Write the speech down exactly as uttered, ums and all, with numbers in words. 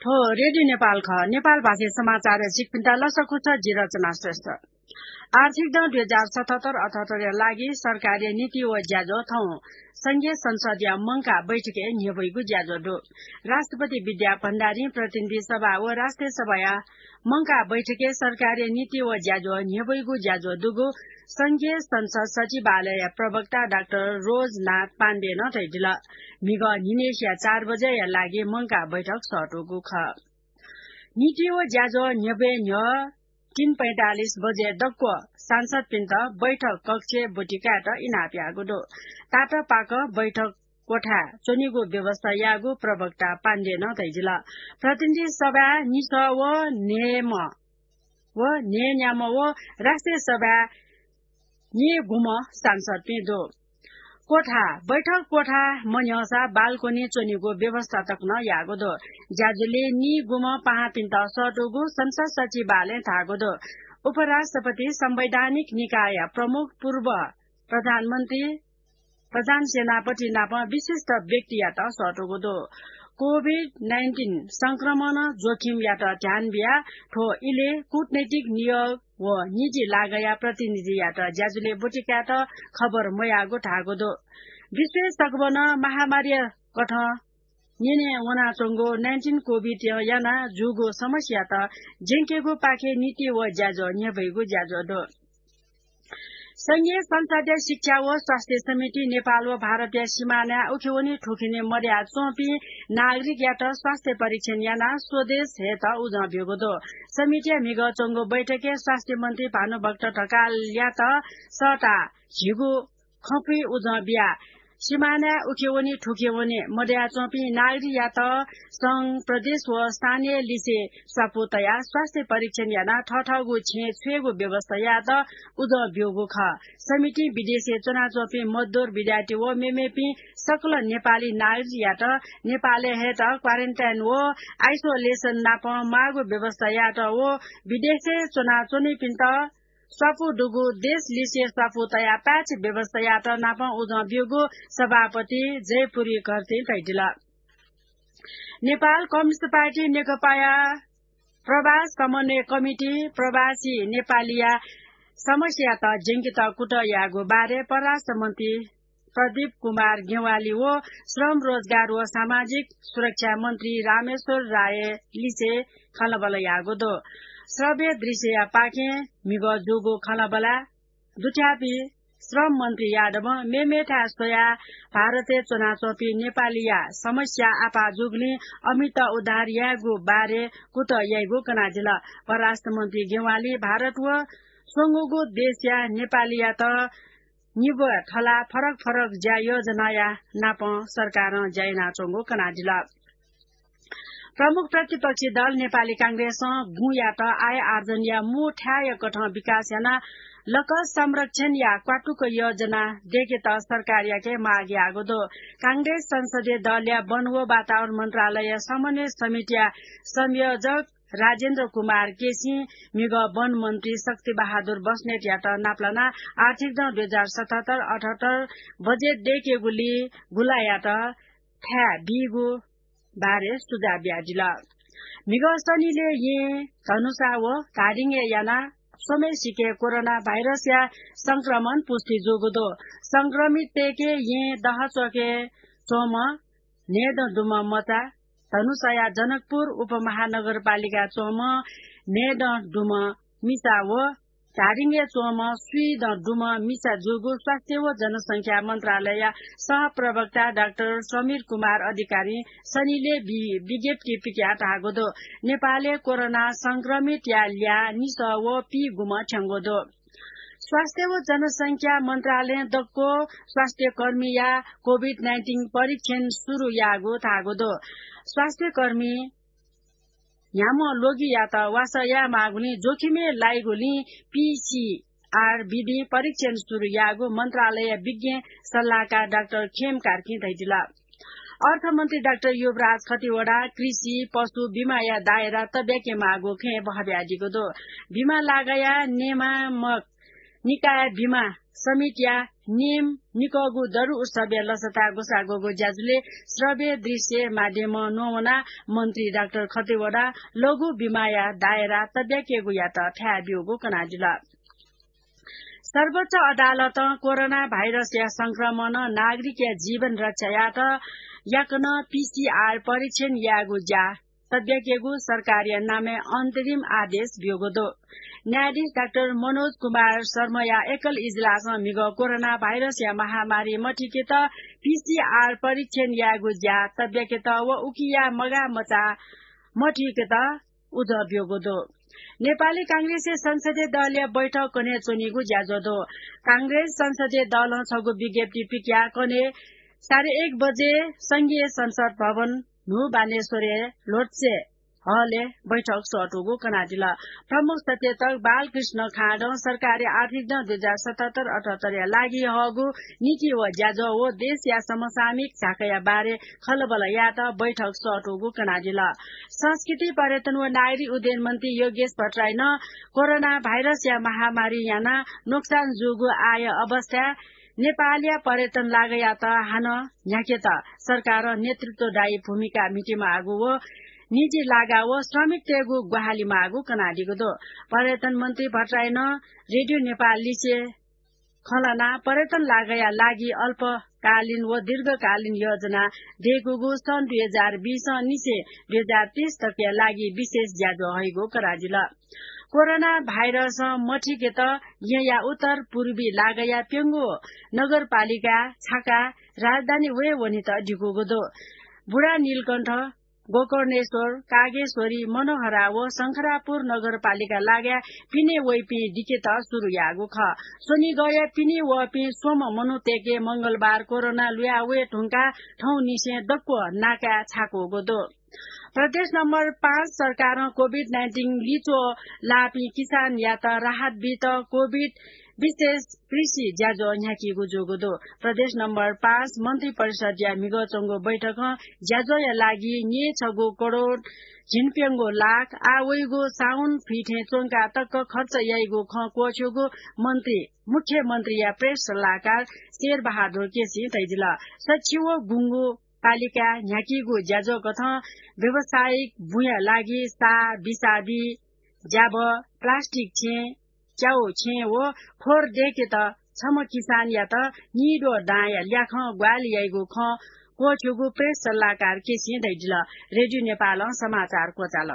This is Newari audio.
हो, रेडियो नेपाल खः। नेपाल भाषी समाचार सिकपिन्ता लसकुस जि रचना श्रेष्ठ। आर्थिक दँ दुई हजार सतहत्तर अठहत्तरया लागि सरकारया नीति व ज्याझ्वः थौं संघीय संसदया मंकाः बैठकय् न्ह्यब्वइगु ज्याझ्वः दु। राष्ट्रपति विद्या भण्डारी, प्रतिनिधि सभा व राष्ट्रिय सभाया मंकाः बैठकय् सरकारया नीति व ज्याझ्वः न्ह्यब्वइगु ज्याझ्वः दुगु संघीय संसद सचिवालयया प्रवक्ता डाक्टर रोजनाथ पाण्डेनं धयादिल। म्हिगः न्हिनय्सिया चार बजेया लागि मंकाः बैठक सःतूगु खः। नीति व ज्याझ्वः न्ह्यब्वये न्ह्यः तीन पैंतालिस बजे दक्व सांसदपिन्त बैठक कक्षय् ब्वति कायेत इनाप याःगु दु। तातापाक बैठक कोठाय् च्वनेगु व्यवस्था याःगु प्रवक्ता पाण्डेनं धयादिल। प्रतिनिधि सभाय् निसः व न्हय्म्ह व न्हय्न्याम्ह व राष्ट्रिय सभाय् नीगुम्ह सांसदपिं दु। कोठा, बैठक कोठा मन्ह्यःसा बालकोनी च्वनेगु व्यवस्था तक नं याःगु दु। ज्याझ्वलय् नीगुम्ह पाहांपिन्त सःतूगु संसद सचिवालयं धाःगु दु। उपराष्ट्रपति संवैधानिक निकायया प्रमुख पूर्व प्रधानमन्त्री प्रधान सेनापति नाप विशिष्ट व्यक्तियात सःतूगु दु। कोभिड नाइन्टिन संक्रमण जोखिमयात ध्यान बियाः थ्व इलय् कूटनैतिक नियोग व निजी लागःया प्रतिनिधियात ज्याझ्वलय् ब्वति कायेत खबर मयाःगु धाःगु दु। विश्वय् सकभनं महामारीया कथं न्यने वनाच्वंगु नाइन्टिन कोभिडं यानाः जूगु समस्यायात ज्यंकेगु पाखे नीति व ज्याझ्वः न्ह्यब्वइगु ज्याझ्वः दु। संघीय संसदया शिक्षा व स्वास्थ्य समिति नेपाल व भारतया सिमानाय् उखेवनी थुखेनी मदयाच्वंपिं नागरिकयात स्वास्थ्य परीक्षण यानाः स्वदेश हयेत उजं ब्यूगु दु। समितिया म्हिगः च्वंगु बैठकय् स्वास्थ्य मन्त्री भानुभक्त ढकालयात सःताः झीगु खँपुइ उजं बियाः सिमानाय् उखेवनी थुखेवनी मदयाच्वंपिं नागरिकयात संघ, प्रदेश व स्थानीय लिसे स्वापू तयाः स्वास्थ्य परीक्षण यानाः थःथःगु छेँय् छ्वयेगु व्यवस्था यायेत उजं ब्यूगु खः। समितिं विदेशय् च्वनाच्वंपिं मजदुर, विद्यार्थी व मेमेपिं सकल नेपाली नागरिकयात नेपालय् हयेत क्वारेन्टाइन व आइसोलेसन नाप माःगु व्यवस्था यायेत व विदेशय् च्वनाच्वनीपिन्त स्वापू दुगु देश लिसे स्वापू तयाः प्याच व्यवस्था यायेत नाप उजं ब्यूगु सभापति जयपुरी घरतीं धयादिल। नेपाल कम्युनिस्ट पार्टी नेकपाया प्रवास समन्वय कमिटी प्रवासी नेपालीया समस्यात ज्यंकेत कुतः याःगु बारे परराष्ट्र मन्त्री प्रदीप कुमार ज्ञवाली व श्रम, रोजगार व सामाजिक सुरक्षा मन्त्री रामेश्वर राय लिसे खँल्हाबल्हा याःगु दु। श्रव्य दृश्यया पाखें म्हिगः जूगु खँल्हाबल्हा दुथ्याःपिं श्रम मन्त्री यादवं मेमेथाय् स्वयाः भारतय् च्वनाच्वंपिं नेपालीया समस्या आपाः जूगुलिं अमित उद्धार यायेगु बारे कुतः याइगु कनादिल। परराष्ट्र मन्त्री ज्ञवाली भारत व स्वंगूगु देशया नेपालीयात निब्वः थलाः फरक फरक ज्या योजनाया नाप सरकारं ज्या यानाच्वंगु कनादिल। प्रमुख प्रतिपक्षी दल नेपाली कांग्रेसं गुँयात आय आर्जनया मू थाय्‌या कथं विकास यानाः लकः संरक्षणया क्वातुक योजना दयेकेत सरकारयाके माग याःगु दु। कांग्रेस संसदीय दलया वन व वातावरण मन्त्रालय समन्वय समितिया संयोजक राजेन्द्र कुमार केसीं म्हिगः वन मन्त्री शक्ति बहादुर बस्नेतयात नापलानाः आर्थिक दँ दुई हजार सतहत्तर अठहत्तर बजेट दयेकेगुली गुँलायात थाय् बीगु बारे सुझाव बियादिल। म्हिगः शनिलय् येँ, धनुषा व धादिङय् यानाः स्वम्हय्‌सिके कोरोना भाइरसया संक्रमण पुष्टि जूगु दु। संक्रमिततय्‌के येँ दहचोकय् च्वंम्ह न्हय्‌दँ दुम्ह मचा, धनुषाया जनकपुर उपमहानगरपालिकाय् च्वंम्ह न्हय्‌दँ दुम्ह मिसा व धादिङय् च्वंम्ह स्वीदँ दुम्ह मिसा जूगु स्वास्थ्य व जनसंख्या मन्त्रालयया सहप्रवक्ता डाक्टर समीर कुमार अधिकारीं शनिलय् वि-, विज्ञप्ति पिकयाः धाःगु दु। नेपालय् कोरोना संक्रमितया ल्याः निसः व पीगुम्ह थ्यंगु दु। स्वास्थ्य व जनसंख्या मन्त्रालयं दक्व स्वास्थ्यकर्मीया कोभिड नाइन्टिन परीक्षण सुरु याःगु धाःगु दु। स्वास्थ्यकर्मी न्ह्याम्ह ल्वगियात वासः यायेमाःगुलिं जोखिमय् लाइगुलिं पीसीआर विधिं परीक्षण सुरु याःगु मन्त्रालय विज्ञ सल्लाहकार डाक्टर खेम कार्कीं धयादिल। अर्थमन्त्री डाक्टर युवराज खतिवडा कृषि, पशु बिमाया दायरा तब्याकेमाःगु खँय् बहब्यादीगु दु। बिमा लागाया नियामक निकाय बिमा समितिया नियम निकःगु दरु उत्सवया लसता ग्वसाः ग्वःगु ज्याझ्वलय् श्रव्य दृश्य माध्यमं न्ववानाः मन्त्री डाक्टर खतिवडा लघु बिमाया दायरा तब्याकेगुयात थाय् ब्यूगु कनादिल। सर्वोच्च अदालतं कोरोना भाइरसया संक्रमणं नागरिकया जीवन रक्षा यायेत याकनं पीसीआर परीक्षण यायेगु ज्या तब्याकेगु सरकारया नामय् अन्तरिम आदेश ब्यूगु दु। न्यायाधीश डाक्टर मनोज कुमार शर्माया एकल इजलासं म्हिगः कोरोना भाइरसया महामारी मथुइकेत पीसीआर परीक्षण यायेगु ज्या तब्याकेत व उकिया मगाःमचाः मथुइकेत उजं ब्यूगु दु। नेपाली कांग्रेसया संसदीय दलया बैठक कन्हय् च्वनीगु ज्याझ्वः दु। कांग्रेस संसदीय दलं छगू विज्ञप्ति पिकयाः कन्हय् साढे एक बजे संघीय संसद भवन न्हू बानेश्वरया ल्होत्से हलय् बैठक सःतूगु कनादिल। प्रमुख सचेतक बालकृष्ण खाँडं सरकारी आर्थिक दँ दुई हजार सतहत्तर अठहत्तरया लागि हःगु नीति व ज्याझ्वः व देशया समसामयिक झाँक्रीया बारे खँल्हाबल्हा यायेत बैठक सःतूगु कनादिल। संस्कृति, पर्यटन व नागरिक उड्डयन मन्त्री योगेश भट्टराईं कोरोना भाइरसया महामारीं यानाः नोक्सान जूगु आय अवस्थाय् नेपालया पर्यटन लागायात हानं न्ह्याकेत सरकारं नेतृत्वदायी भूमिका म्हितेमाःगु व निजी लागा व श्रमिकतय्गु ग्वाहालि माःगु कनादीगु दु। पर्यटन मन्त्री भट्टराईं रेडियो नेपाल लिसे खँ ल्हानाः पर्यटन लागाया लागि अल्पकालीन व दीर्घकालीन योजना दयेकूगु सन् दुई हजार बीस निसें दुई हजार तीस तकया लागि विशेष ज्याझ्वः हइगु कनादिल। कोरोना भाइरसं मथुइकेत येँया उत्तर पूर्वी लागाया प्यंगू नगरपालिका छाकाः राजधानी वये वनेत दिकूगु दु। बुढा नीलकण्ठ, गोकर्णेश्वर, कागेश्वरी, मनोहरा व शंखरापुर नगरपालिका लागाय् पिने वइपिं दिकेत सुरु याःगु खः। स्वनिगःया पिने वःपिं स्वम्ह मनूतय्के मंगलबार कोरोना लुया वये धुंकाः थौंनिसें दक्व नाकाय् छाकूगु दु। प्रदेश नम्बर पाँच सरकारं कोभिड नाइन्टिन लिच्वः लाःपिं किसानयात राहत बीत कोभिड विशेष कृषि ज्याझ्वः न्ह्याकीगु जूगु दु। प्रदेश नम्बर पाँच मन्त्री परिषदया म्हिगः च्वंगु बैठकं ज्याझ्वःया लागि न्यय् छगू करोड झिंप्यंगू लाख आः वइगु साउन फिथें च्वंका तक खर्च याइगु खँ क्वःछ्यूगु मन्त्री मुख्यमन्त्रीया प्रेस सल्लाहकार शेरबहादुर केसीं धयादिल। सछि व गुंगू पालिकाय् न्ह्याकीगु ज्याझ्वः कथं व्यावसायिक बुँया लागि सा, बिसादी, ज्याभः, प्लास्टिक छेँ, च्याउ छेँ व खोर दयेकेत छम्ह किसानयात निद्वः दांया ल्याखं ग्वाहालि याइगु खँ क्वःछ्यूगु प्रेस सल्लाहकार केसीं धयादिल। रेडियो नेपालं समाचार क्वचाल।